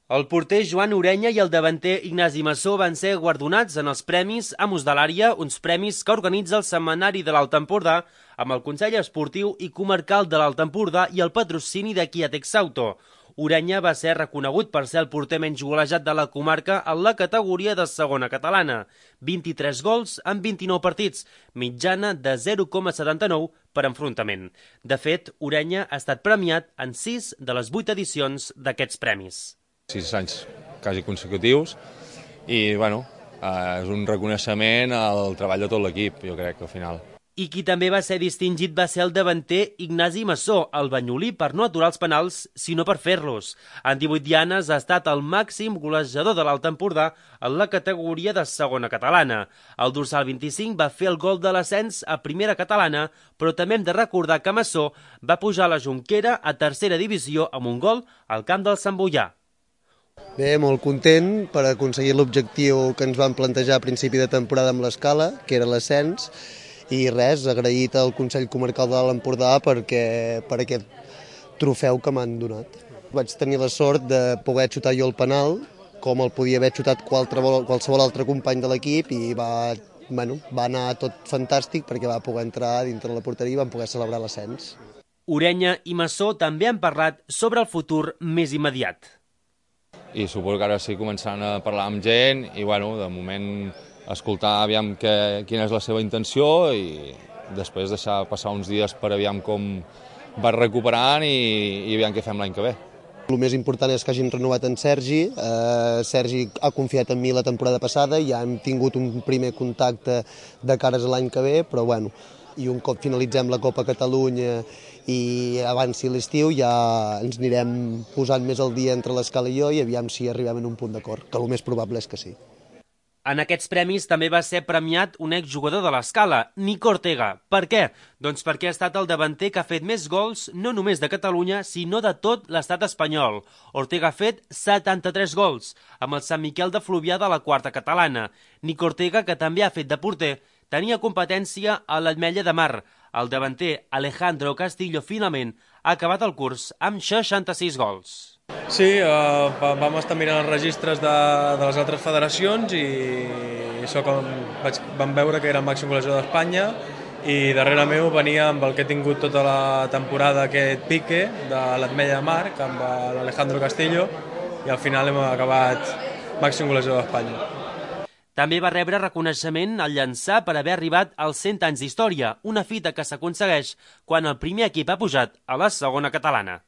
El porter Joan Orenya i el davanter Ignasi Massó van ser guardonats en els Premis Amos de l'Àrea, uns premis que organitza el Setmanari de l'Alt Empordà amb el Consell Esportiu i Comarcal de l'Alt Empordà i el patrocini de Kia Texauto. Orenya va ser reconegut per ser el porter menys golejat de la comarca en la categoria de segona catalana. 23 gols en 29 partits, mitjana de 0,79 per enfrontament. De fet, Orenya ha estat premiat en 6 de les 8 edicions d'aquests premis. 6 anys quasi consecutius i bueno, és un reconeixement al treball de tot l'equip, jo crec, al final. I qui també va ser distingit va ser el davanter Ignasi Massó, el banyolí, per no aturar els penals, sinó per fer-los. En 18 dianes ha estat el màxim golejador de l'Alt Empordà en la categoria de segona catalana. El dorsal 25 va fer el gol de l'ascens a primera catalana, però també hem de recordar que Massó va pujar a la Jonquera a tercera divisió amb un gol al camp del Sant Boià. Bé, molt content per aconseguir l'objectiu que ens vam plantejar a principi de temporada amb l'Escala, que era l'ascens, i res, agraït al Consell Comarcal de l'Alt Empordà per aquest trofeu que m'han donat. Vaig tenir la sort de poder xutar jo el penal, com el podia haver xutat qualsevol altre company de l'equip, i va anar tot fantàstic perquè va poder entrar dintre la porteria i vam poder celebrar l'ascens. Orenya i Massó també han parlat sobre el futur més immediat. I suposo que ara sí començaran a parlar amb gent i bueno, de moment escoltar aviam quina és la seva intenció i després deixar passar uns dies per aviam com va recuperant i aviam què fem l'any que ve. El més important és que hagin renovat en Sergi. Sergi ha confiat en mi la temporada passada, ja hem tingut un primer contacte de cares a l'any que ve, però bueno, i un cop finalitzem la Copa Catalunya i avanci l'estiu ja ens anirem posant més al dia entre l'Escala i jo i aviam si arribem a un punt d'acord, que el més probable és que sí. En aquests premis també va ser premiat un exjugador de l'Escala, Nico Ortega. Per què? Doncs perquè ha estat el davanter que ha fet més gols no només de Catalunya, sinó de tot l'estat espanyol. Ortega ha fet 73 gols, amb el Sant Miquel de Fluvià de la quarta catalana. Nico Ortega, que també ha fet de porter, tenia competència a l'Ametlla de Mar. El davanter Alejandro Castillo finalment ha acabat el curs amb 66 gols. Sí, vam estar mirant els registres de les altres federacions i vam veure que era el màxim golejador d'Espanya i darrere meu venia amb el que he tingut tota la temporada aquest pique de l'Ametlla de Mar amb l'Alejandro Castillo i al final hem acabat màxim golejador d'Espanya. També va rebre reconeixement al llançar per haver arribat als 100 anys d'història, una fita que s'aconsegueix quan el primer equip ha pujat a la segona catalana.